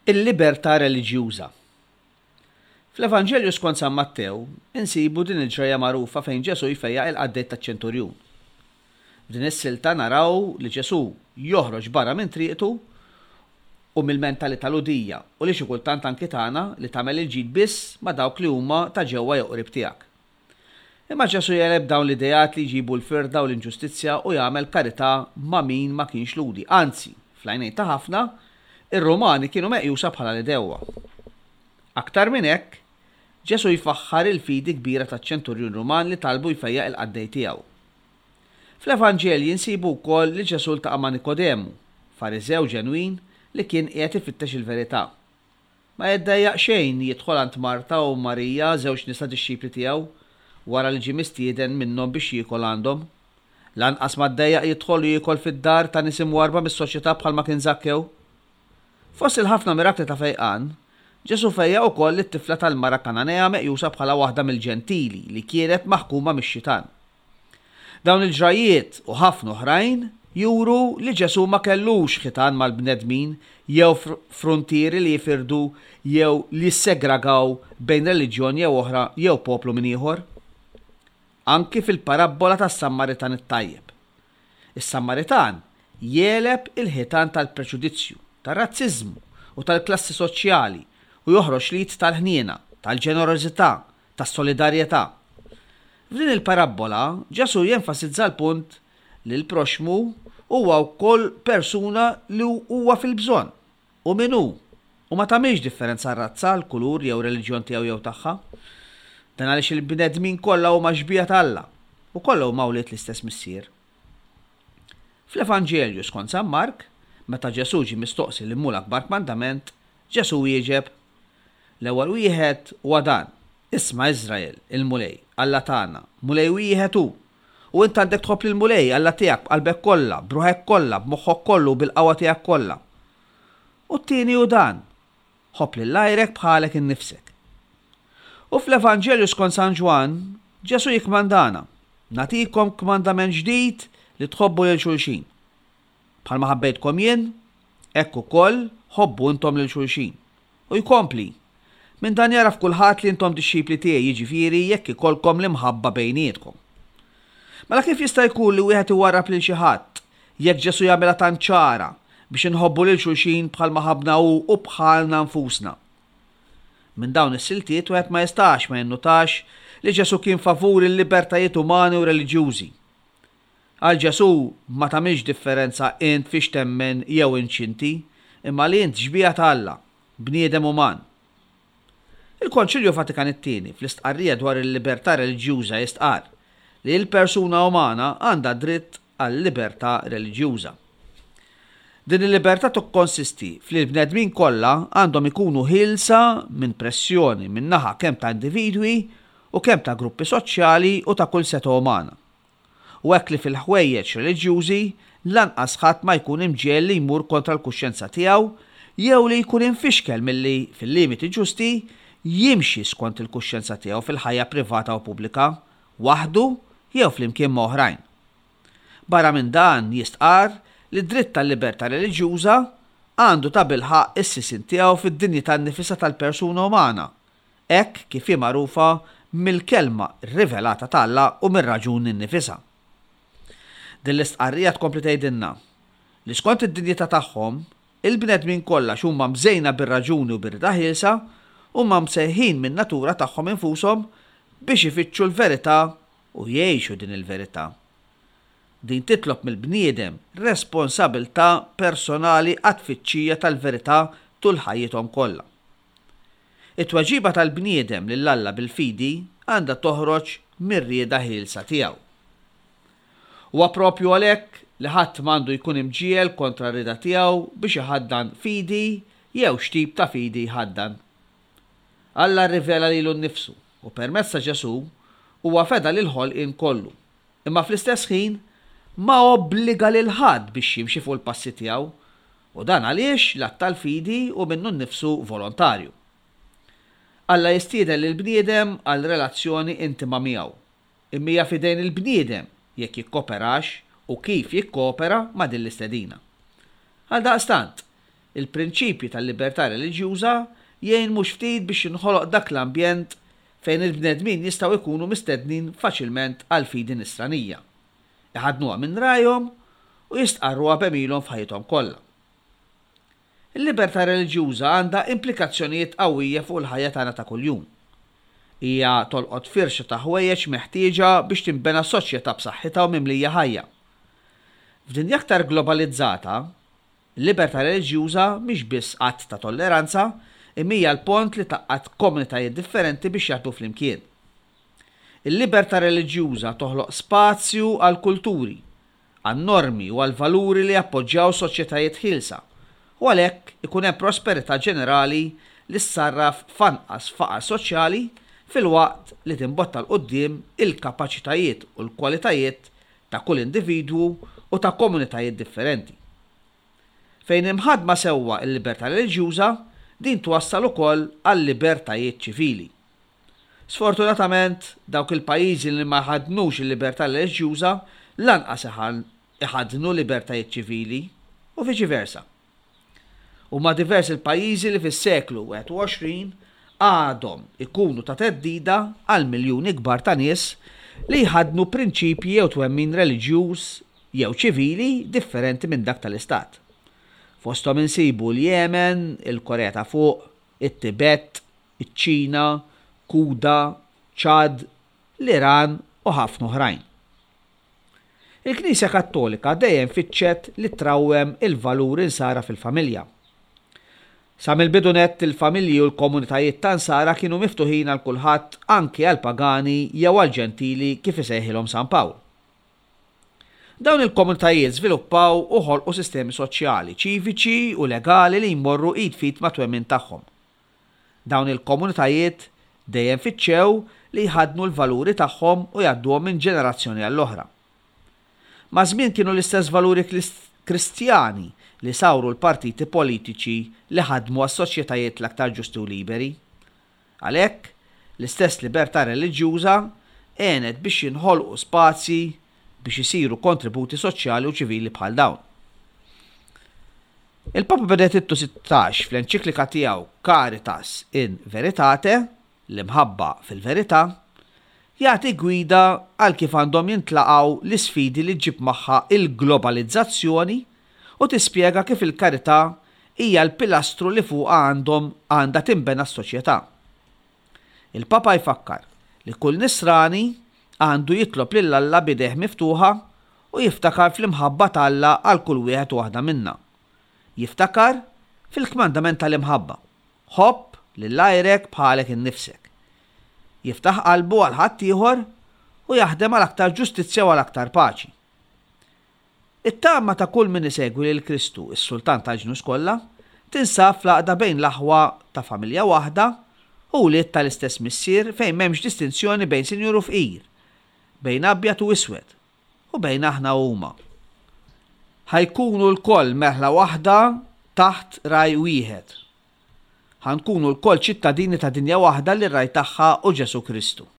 Il-libertà reliġjuża. Fl-Evanġelju skont San Mattew insibu din il-ġrajja magħrufa fejn Ġesù jfejjaq il-qaddej taċ-ċenturjun. F'din is-silta naraw li Ġesù joħroġ barra minn triqtu u mill-mentalità Lhudija u li xi kultant anki tagħna li tagħmel il-ġid biss ma' dawk li huma ta' ġewwa jew qrib tiegħek. Imma Ġesù jegħleb dawn l-ideat li jġibu l-firda u l-inġustizzja u jagħmel karità ma' min ma kienx Lhudi, anzi, fl-għajnejn ta' ħafna, ir-Rumani kienu meqjusa bħala l-għedewwa. Aktar minn hekk, Ġesù jfaħħar il-fidi kbira taċ-ċenturjun Ruman li talbu jfejjaq il-qaddej tiegħu. Fl-Evanġelji nsibu wkoll li Ġesù ltaqa' ma' Nikodemu, Fariżew ġenwin li kien qiegħed ifittex il-verità. Ma jiddejjaq xejn jidħol għand Marta u Marija, żewġ nisa dixxipli tiegħu, wara li ġie mistieden minnhom biex jiekol għandhom. Lanqas ma ddejjaq jidħol u jiekol fid-dar ta' nies imwarrba mis-soċjetà bħalma kien Żakkew. Fost il-ħafna mirakli ta' fejqan, Ġesù fejjaq ukoll lit-tifla tal-mara Kananea meqjusa bħala waħda mill-Ġentili li kienet maħkuma mix-xitan. Dawn il-ġrajjiet u ħafna oħrajn juru li Ġesù ma kellux ħitan mal-bnedmin jew fruntieri li jifirdu jew li jissegragaw bejn reliġjon jew oħra jew poplu minn ieħor. Anki fil-parabbola tas-Sammaritan it-tajjeb. Is-Sammaritan jegħleb il-ħitan tal-preġudizzju, tar-razziżmu u tal-klassi soċjali u joħroġ l-id tal-ħniena, tal-ġenerożità, tas-solidarjetà. F'din il-parabbola, Ġesù jenfasizza l-punt li l-proxxmu huwa wkoll persuna li huwa fil-bżonn, hu min hu, u ma tagħmilx differenza r-razza, l-kulur jew reliġjon tiegħu jew tagħha. Dan għaliex il-bnedmin kollha huma xbieha ta' Alla u kollha huma wlied l-istess Missier. Fl-Evanġelju skont San Mark, meta Ġesù ġie mistoqsi liema hu l-akbar kmandament, Ġesù wieġeb, L-ewwel wieħed huwa dan, 'Isma' Iżrael, il-Mulej, Alla tagħna, Mulej wieħed hu. U int għandek tħobb lill-Mulej, Alla tiegħek, b'qalbek kollha, b'ruħek kollha, b'moħħok kollu u bil-qawwa tiegħek kollha. U t-tieni hu dan, 'Ħobb lil għajrek bħalek innifsek. U fl-Evanġelju skont San Ġwann, Ġesù jikkmandana, Nagħtikom kmandament ġdid li tħobbu lil xulxin. Bħalma ħabbejtkom jien, hekk ukoll ħobbu intom lil xulxin. U jkompli, Minn dan jagħraf kulħadd li intom dixxipli tiegħi, jiġifieri jekk ikollkom l-imħabba bejnietkom. Mela kif jista' jkun li wieħed iwarrab lil xi ħadd, jekk Ġesù jagħmilha tant ċara biex inħobbu lil xulxin bħalma ħabbna hu u bħalna nfusna? Minn dawn is-siltiet wieħed ma jistax ma jinnutax li Ġesù kien favur il-libertajiet umani u reliġjużi. Għal Ġesù ma tagħmilx differenza int fiex temmen jew int x'inti, imma li int xbieha ta' Alla, bniedem uman. Il-Konċilju Vatikan it-Tieni fl-istqarrija dwar il-libertà reliġjuża jistqarr li l-persuna umana għandha dritt għal-libertà reliġjuża. Din il-libertà tikkonsisti f'li l-bnedmin kollha għandhom ikunu ħielsa minn pressjoni min-naħa kemm ta' individwi u kemm ta' gruppi soċjali u ta' kull setgħa umana. u hekk li fil-ħwejjeġ reliġjużi lanqas ħadd ma jkun imġiegħel li jmur kontra l-kuxjenza tiegħu jew li jkun imfixkel milli, fil-limiti ġusti, jimxi skont il-kuxjenza tiegħu fil-ħajja privata u pubblika, waħdu jew flimkien ma' oħrajn. Barra minn dan jistqarr li d-dritt tal-libertà reliġjuża għandu tabilħaqq is-sisien tiegħu fid-dinjità nnifisha tal-persuna umana, hekk kif hi magħrufa mill-Kelma rivelata ta' Alla u mir-raġuni nnifisha. Din l-istqarrija tkompli tgħidilna li skont id-dinjità tagħhom, il-bnedmin kollha x'huma mżejna bir-raġuni u bir-rieda ħielsa, huma msejħin min-natura tagħhom infushom biex ifittxu l-verità u jgħixu din il-verità. Din titlob mill-bniedem responsabilità personali għat-tfittxija tal-verità tul ħajjithom kollha. It-tweġiba tal-bniedem lil Alla bil-fidi għandha toħroġ mir-rieda ħielsa tiegħu. Huwa proprju għalhekk li ħadd m'għandu jkun imġiegħel kontra r-rieda tiegħu biex iħaddan fidi jew x'tip ta' fidi jħaddan. Alla rrivela lilu nnifsu u permezz ta' Ġesù huwa feda lill-ħolqien kollu, imma fl-istess ħin ma obbliga lil ħadd biex jimxi fuq il-passi tiegħu U dan għaliex l-att tal-fidi hu minnu nnifsu volontarju. Alla jistieden lill-bniedem għal relazzjoni intima miegħu, imma hija f'idejn il-bniedem jekk jikkoperax u kif jikkopera ma' din l-istedina. Għaldaqstant, Il-prinċipji tal-libertà reliġjuża jgħin mhux ftit biex jinħoloq dak l-ambjent fejn il-bnedmin jistgħu jkunu mistednin faċilment għall-fidi nisranija, iħaddnuha minn rajhom u jistqarruha b'għemilhom f'ħajjithom kollha. Il-libertà reliġjuża għandha implikazzjonijiet qawwija fuq il-ħajja tagħna ta' kuljum. Hija tolqot firxa ta' ħwejjeġ meħtieġa biex tinbena soċjetà b'saħħitha u mimlija ħajja. F'dinja aktar globalizzata, il-libertà reliġjuża mhix biss att ta' tolleranza imma hija l-pont li tgħaqqad komunitajiet differenti biex jaħdmu flimkien. Il-libertà reliġjuża toħloq spazju għall-kulturi, għan-normi u għall-valuri li jappoġġjaw soċjetajiet ħielsa u għalhekk ikun hemm prosperità ġenerali li ssarraf f'anqas faqar soċjali filwaqt li timbotta 'l quddiem il-kapaċitajiet u l-kwalitajiet ta' kull individwu u ta' komunitajiet differenti. Fejn imħaddma sewwa l-libertà reliġjuża, din twassal ukoll għal-libertajiet ċivili. Sfortunatament, dawk il-pajjiżi li ma jħaddnux il-libertà reliġjuża lanqas iħaddnu libertajiet ċivili, u viċi versa. Huma diversi l-pajjiżi li fis-seklu 21 għadhom ikunu ta' theddida għal miljuni kbar ta' nies li jħaddnu prinċipji jew twemmin reliġjuż jew ċivili differenti minn dak tal-Istat. Fosthom insibu l-Jemen, il-Korea ta' Fuq, it-Tibet, iċ-Ċina, Kuda, Chad, l-Iran u ħafna oħrajn. Il-Knisja Kattolika dejjem fittxet li trawwem il-valuri Nsara fil-familja. Sa mill-bidu nett il-familji u l-komunitajiet ta' Nsara kienu miftuħin għal kulħadd anki għall-pagani jew għall-Ġentili kif isejħilhom San Pawl. Dawn il-komunitajiet żviluppaw u ħolqu sistemi soċjali, ċiviċi u legali li jmorru id f'id mat-twemmin tagħhom. Dawn il-komunitajiet dejjem fittxew li jħaddnu l-valuri tagħhom u jgħadduhom minn ġenerazzjoni għall-oħra. Maż-żmien kienu l-istess valuri Kristjani li sawru l-partiti politiċi li ħadmu għas-soċjetajiet l-aktar ġusti u liberi. Għalhekk, l-istess libertà reliġjuża għenet biex jinħolqu spazji biex isiru kontributi soċjali u ċivili bħal dawn. Il-Papa Benedittu 16 fl-enċiklika tiegħu Caritas in Veritate, l-imħabba fil-verità, jagħti gwida għal kif għandhom jintlaqgħu l-isfidi li ġġib magħha l-globalizzazzjoni u tispjega kif il-karità hija l-pilastru li fuqha għandhom għandha tinbena s-soċjetà. Il-Papa jfakkar li kull Nisrani għandu jitlob lil Alla b'idejh miftuħa u jiftakar fl-imħabba ta' Alla għal kull wieħed u waħda minna. Jiftakar fil-kmandament tal-imħabba, Ħobb lil għajrek bħalek innifsek. Jiftaħ qalbu għal ħaddieħor u jaħdem għal aktar ġustizzja u għal aktar paċi. It-tama ta' kull min isegwi lil Kristu, is-Sultan tal-ġnus kollha, tinsab fl-għaqda bejn l-aħwa ta' familja waħda u wlied tal-istess Missier fejn m'hemmx distinzjoni bejn sinjur u fqir, bejn abjad u iswed, u bejn aħna u huma. Ħa jkunu lkoll merħla waħda taħt ragħaj wieħed. Ħa nkunu lkoll ċittadini ta' dinja waħda li r-ragħaj tagħha hu Ġesù Kristu.